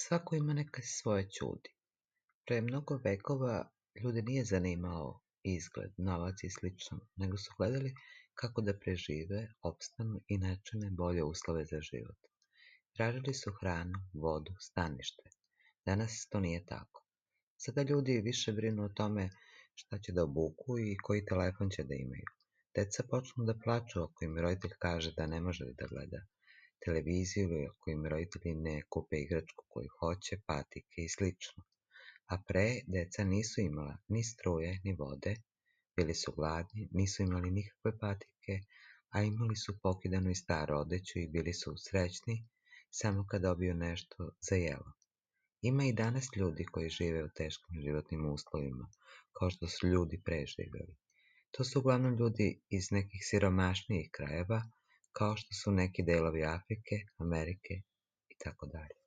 Svako ima neke svoje ćudi. Pre mnogo vekova ljude nije zanimao izgled, novac i slično, nego su gledali kako da prežive, opstanu i načine bolje uslove za život. Tražili su hranu, vodu, stanište. Danas to nije tako. Sada ljudi više brinu o tome šta će da obuku i koji telefon će da imaju. Deca počnu da plaču ako im roditelj kaže da ne može da gleda televiziju ili ako im roditelji ne kupe igračku koju hoće, patike i slično. A pre deca nisu imala ni struje, ni vode, bili su gladni, nisu imali nikakve patike, a imali su pokidanu i staru odeću i bili su srećni samo kad dobiju nešto za jelo. Ima i danas ljudi koji žive u teškim životnim uslovima, kao što su ljudi pre živeli. To su uglavnom ljudi iz nekih siromašnijih krajeva, kao što su neki delovi Afrike, Amerike i tako dalje.